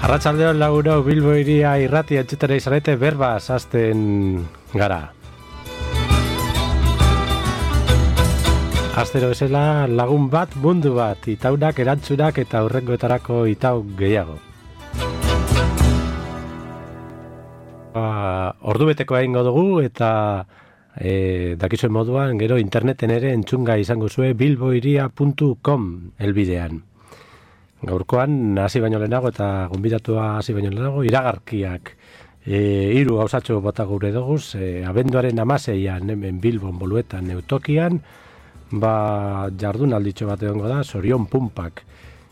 Arratsaldeon lagunok, Bilbo hiria irratia entzutera izarete berbaz hasten gara. Astero bezala lagun bat, mundu bat, itaunak, erantzunak eta hurrengoetarako itau gehiago. Ordubeteko egingo dugu eta dakizuen moduan gero interneten ere entzunga izango zue bilbohiria.com helbidean. Gaurkoan hasi baino lehenago eta gonbidatua hasi baino lehenago iragarkiak 3 gauzatxo bota gure doguz, abenduaren 16an hemen Bilbon Boluetan Neutokian, jardunalditxo bat egongo da, Sorion Pumpak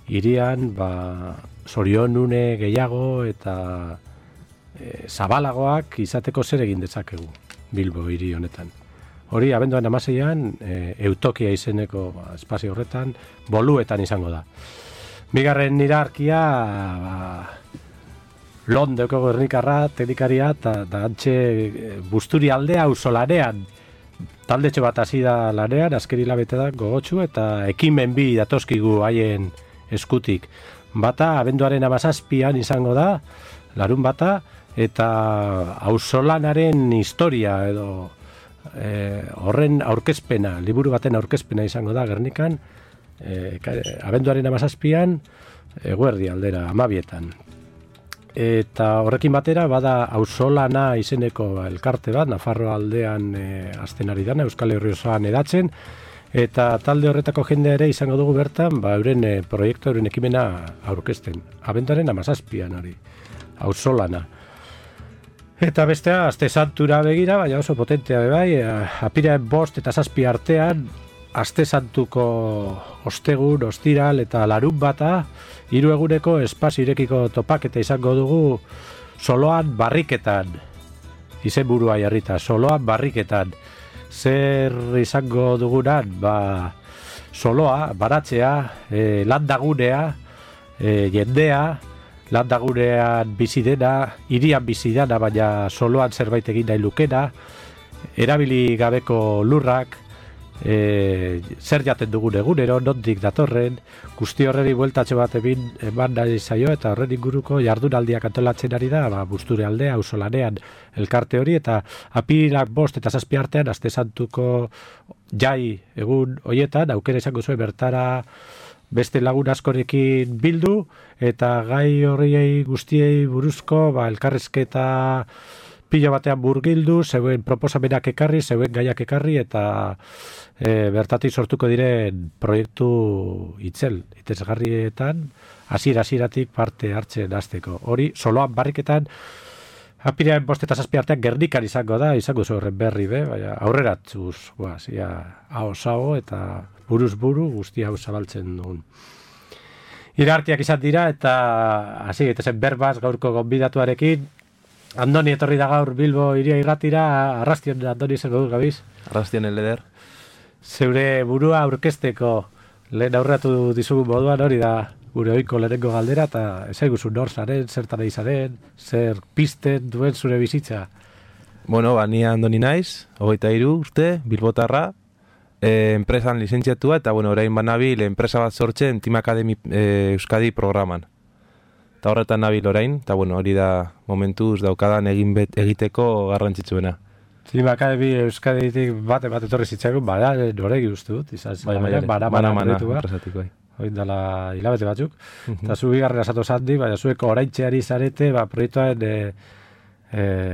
hirian, Sorion une gehiago eta zabalagoak izateko zer egin dezakegu Bilbo hiri honetan. Hori abenduaren 16an Eutokia izeneko espazio horretan Boluetan izango da. Bigarren iragarkia Londoko Gernikarra, teknikaria eta gantxe Busturi aldea auzolanean taldetxo bat hasi da lanean, azken hilabete da gogotsu eta ekimen bi datoskigu haien eskutik. Bata abenduaren 17an izango da, larun bata, eta auzolanaren historia edo horren aurkezpena, liburu baten aurkezpena izango da Gernikan, abenduaren 17an eguerdi aldera 12etan. Eta horrekin batera bada auzolana izeneko elkarte bat, Nafarroa aldean hasten ari dana, Euskal Herri osoan edatzen, eta talde horretako jende ere izango dugu bertan, euren proiektu, euren ekimena aurkezten. Abenduaren 17an hori, auzolana. Eta bestea, aste santura begira, baina oso potentea bai, apirilaren 5 eta 7 artean, aste santuko ostegun, ostiral eta larun bata, 3 eguneko espazio irekiko topaketa izango dugu Soloan barriketan. Izenburua jarrita, Soloan barriketan. Zer izango dugunan, Soloa, baratzea, landagunea, jendea, landagunean bizi dena, hirian bizi dena, baina Soloan zerbait egin nahi lukena, erabili gabeko lurrak, zer jaten dugun egunero, nondik datorren, guzti horreri bueltatxo bat eman nahi zaio eta horren inguruko jardunaldiak antolatzen ari da, Busture aldea, auzolanean elkarte hori, eta apirilak 5 eta 7 artean, aste santuko jai egun hoietan, aukera izango zuen bertara beste lagun askorekin bildu, eta gai horriei guztiei buruzko elkarrizketa pilo batean burgildu, zeuen proposamenak ekarri, zeuen gaiak ekarri, eta bertatik sortuko diren proiektu itzesgarrietan, hasieratik parte hartzen hasteko. Hori, Soloan barriketan, apirilaren 5 eta 7 artean Gernikan izango da, izango horren berri baina aurreratzuz, hau eta buruz buru guztia hau zabaltzen dugun. Iragarkiak izan dira, eta hasi gaitezen berbaz gaurko gonbidatuarekin. Andoni etorri da gaur Bilbo hiria irratira, arrastion Andoni zer godu gabiz? Arrastion leder. Zeure burua aurkezteko lehen aurratu dizugun moduan hori da gure ohiko lehenengo galdera, eta ezaiguzu nor zaren, zertan nahi zaren, zer pizten duen zure bizitza? Bueno, ni Andoni naiz, 23 urte, bilbotarra, enpresan lizentziatua, eta orain banabil enpresa bat sortzen Team Academy Euskadi programan. Eta horretan nabil orain, eta hori da momentuz daukadan egiteko garrantzitsuena. Team Academy Euskaditik bate etorri zitzaigun, noregi uste dut, Bana, enpresatiko. Hoin dela hilabete batzuk. Eta zu bigarren asatu zandi, baina zueko oraintxeari zarete, proiektuaren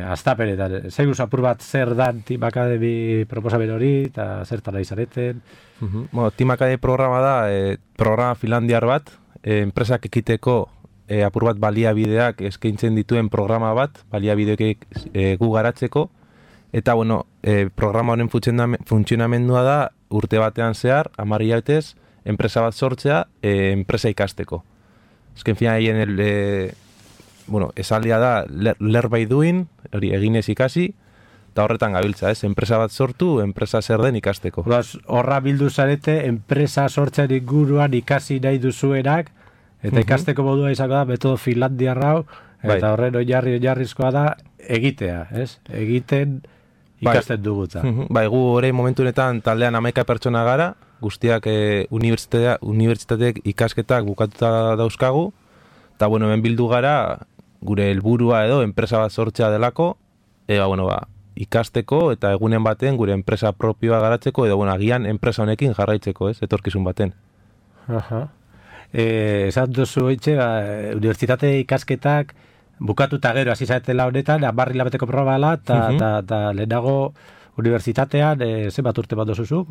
astapenetan. Zaigu apur bat zer dan Team Academy proposamen hori, eta zertan nahi zareten. Team Academy programa da, programa finlandiar bat, enpresak ekiteko apur bat baliabideak eskaintzen dituen programa bat, baliabideak gu garatzeko, eta programa honen funtzionamendua da urte batean zehar, 10 hilabetez, enpresa bat sortzea, enpresa ikasteko. Ezken fina hien, esaldia da, learn by doing, hori eginez ikasi, eta horretan gabiltza, enpresa bat sortu, enpresa zer den ikasteko. Horra bildu zarete, enpresa sortzen inguruan ikasi nahi duzuenak, eta ikasteko modua izango da, metodo finlandiarra hau, eta horren oinarrizkoa da egitea, egiten ikasten duguta. Gu orain momentu honetan taldean 11 pertsona gara, guztiak unibertsitateek ikasketak bukatuta dauzkagu, Eta, bueno, hemen bildu gara, gure helburua edo enpresa bat sortzea delako, ikasteko eta egunen baten gure enpresa propioa garatzeko, edo, agian enpresa honekin jarraitzeko, etorkizun baten. Aha. Esan duzu hitze, unibertsitate ikasketak bukatuta gero hasi zaretela honetan, 10 hilabeteko probala, eta lehenago unibertsitatean zenbat urte bat dozuzuk?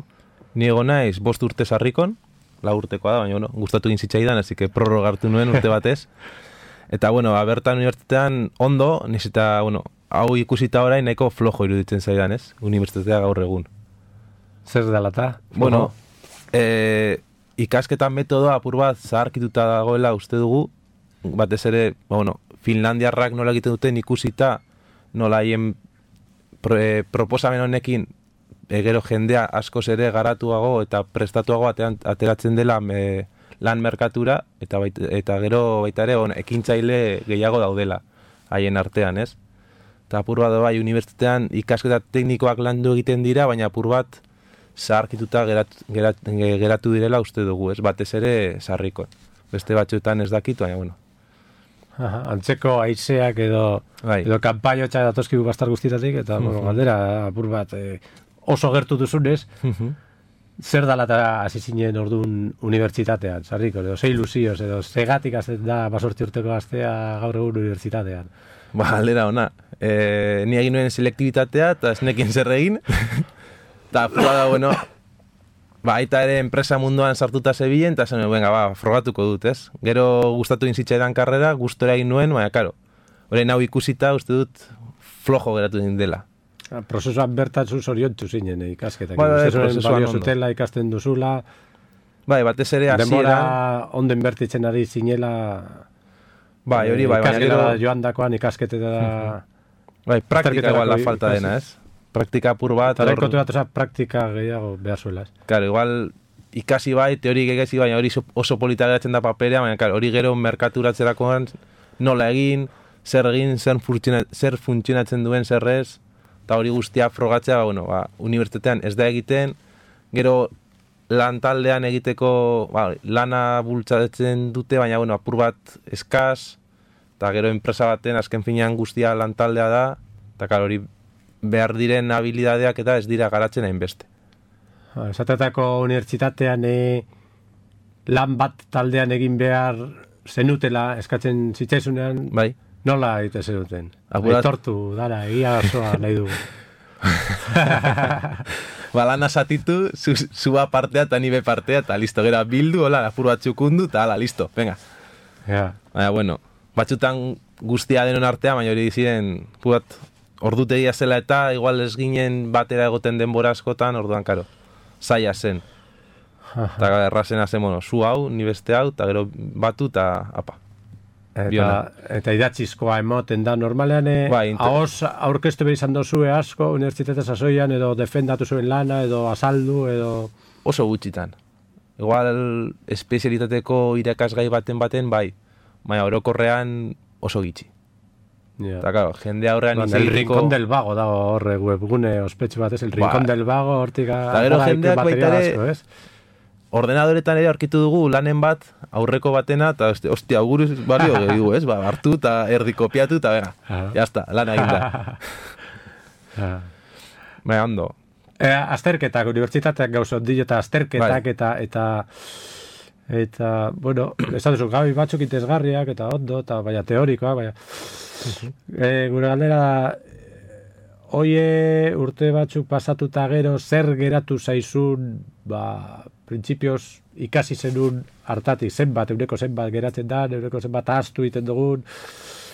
Ni egon naiz 5 urte sarrikon, 4 urtekoa da, baina gustatu egin zitzaidan, así que prorrogartu nuen urte batez. Eta, bertan unibertsitatean ondo, niz eta, hau ikusita orain nahiko flojo iruditzen zaidan, ez? Unibertsitatea gaur egun. Zer dalata? Ikasketan metodoa apur bat zaharkituta dagoela uste dugu, batez ere, Finlandiarrak nola egiten duten ikusita, nola haien proposamen honekin gero jendea askoz ere garatuago eta prestatuago ateratzen dela lan merkatura, eta gero baita ere ekintzaile gehiago daudela haien artean, ez? Eta apur bat bai, unibertsitatean ikasketa teknikoak landu egiten dira, baina apur bat zaharkituta geratu direla uste dugu, ez? Batez ere sarriko. Beste batzuetan ez dakit, baina, Antzeko haizeak edo kanpainotxa datozkigu bastar guztietatik, eta galdera apur bat oso gertu duzunez, zer dala eta hasi zinen orduan unibertsitatean, sarriko, edo ze ilusioz, edo zegatik azten da 18 urteko gaztea gaur egun unibertsitatean. Galdera ona, ni egin nuen selektibitatea eta esnekin zer egin, eta apura da, aita ere enpresa munduan sartuta zebilen, eta zen, frogatuko dut, ez? Gero gustatu inzitzaidan karrera, gustora egin nuen, baina, karo, orain hau ikusita, uste dut, flojo geratu din dela. Prozesuan bertatzu zoriontu zinen ikasketak. Prozesuan ondo. Zutela ikasten duzula. Batez ere hasieran. Denbora onden bertitzen ari zinela. Hori bai. Ikasketa joan dakoan ikasketetara. Praktika igual la falta dena, ez? Praktika apur bat. Eta konturatu praktika gehiago behar zuela, ez? Claro, igual ikasi bai, teori gegezi, baina hori oso polita geratzen da paperea, baina hori gero merkaturatzerakoan nola egin, zer funtzionatzen duen zerrez, eta hori guztia frogatzea, unibertsitatean ez da egiten, gero lan taldean egiteko lana bultzatzen dute, baina apur bat eskaz, eta gero enpresa baten azken finean guztia lan taldea da, eta hori behar diren habilidadeak eta ez dira garatzen hainbeste. Esatetako unibertsitatean lan bat taldean egin behar zenutela eskatzen zitzaizunean, nola egite zenuten? Aitortu, dara, egia osoa nahi dugu. Lan asatitu, zua partea eta nibe partea, eta listo, gero bildu, apur bat txukundu, eta listo, venga. Baina, batzutan guztia denon artea, baina hori diziren, ordutegia zela eta igual ez ginen batera egoten denbora askotan, orduan, karo, zaila zen. Eta errazena zen, zu hau, ni beste hau, eta gero batu, eta apa. Eta idatzizkoa emoten da, normalean ahoz aurkeztu behar izan dozue asko, unibertsitate sasoian, edo defendatu zuen lana, edo azaldu, edo... Oso gutxitan. Igual, espezialitateko irakasgai baten, baina orokorrean oso gitxi. Eta, claro, jende aurrean el Rincón del Vago dago horre webgune ospetsu batez, el Rincón del Vago hortika... Eta gero jendeak baita ere, ordenadoretan ere aurkitu dugu lanen bat, aurreko batena, eta ostia, auguruz barrio gehiago, ez? Hartu eta erdi kopiatu, eta venga, jazta, lana egin da. Baina, ondo. Azterketak, unibertsitateak gauza ondio, eta azterketak, eta, bueno, ez duzu, gabi batzuk interesgarriak, eta ondo, eta baina teorikoa, baina... Gure galdera, oie urte batzuk pasatuta gero, zer geratu zaizun, printzipioz ikasi zenun hartatik, zenbat, euneko zenbat geratzen da, euneko zenbat ahaztu egiten dugun,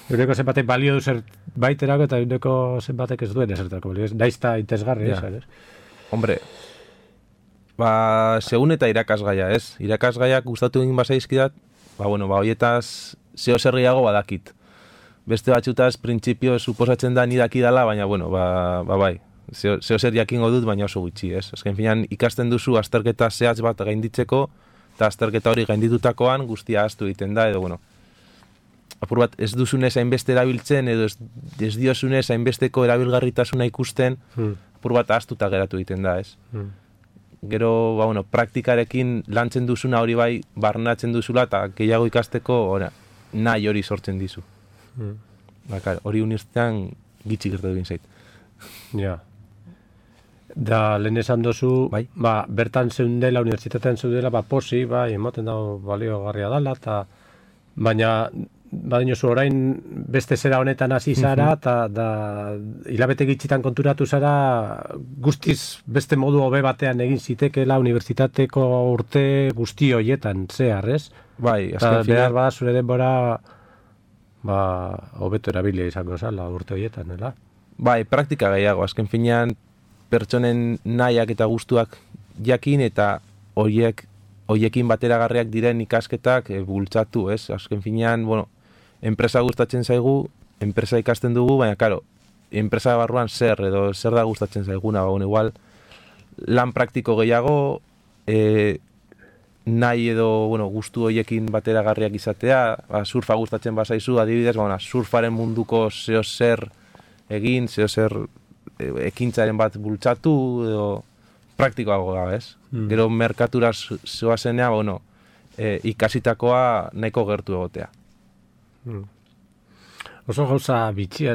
euneko zenbatek balio du zer baiterako, eta euneko zenbatek ez duen ezertako balio, naizta interesgarri, ez? Hombre, segun eta irakasgaia, ez? Irakasgaiak gustatu egin bazaizkidat, horietaz zeo zer gehiago badakit. Beste batxutaz, printzipio suposatzen da nidaki dala, baina, bai, zeo zer jakingo dut, baina oso gutxi, ez? Azken finean, ikasten duzu azterketa zehatz bat gainditzeko, eta azterketa hori gainditutakoan guztia ahaztu egiten da, edo, apur bat ez duzunez hainbeste erabiltzen, edo ez diozunez hainbesteko erabilgarritasuna ikusten, apur bat ahaztuta geratu egiten da, ez? Gero, praktikarekin lantzen duzuna hori bai, barnatzen duzula, eta gehiago ikasteko, nahi hori sortzen dizu. Hori unibertsitatean gitxik gertu egin zait. Ja. Da, lehen esan dozu, Bai. Bertan zeundela, unibertsitatean zeundela, posi, emoten dago baliogarria dela, baina badinozu orain beste zera honetan hasi zara, eta hilabete gitxitan konturatu zara, guztiz beste modu hobe batean egin zitekeela unibertsitateko urte guzti horietan, zehar, ez? Bai, azken finean. Behar zure denbora, hobeto erabilia izango zala urte horietan, nela? Bai, praktika gehiago, azken finean pertsonen nahiak eta gustuak jakin eta horiekin bateragarriak diren ikasketak bultzatu, ez? Azken finean, enpresa gustatzen zaigu, enpresa ikasten dugu, baina, karo, enpresa barruan zer da gustatzen zaiguna, igual, lan praktiko gehiago, nahi edo, gustu horiekin bateragarriak izatea, surfa gustatzen bazaizu, adibidez, surfaren munduko zeo zer egin, zeo zer ekintzaren bat bultzatu, edo praktikoago da, ez? Gero merkatura zoazenea, ikasitakoa nahiko gertu egotea. Oso gauza bitxia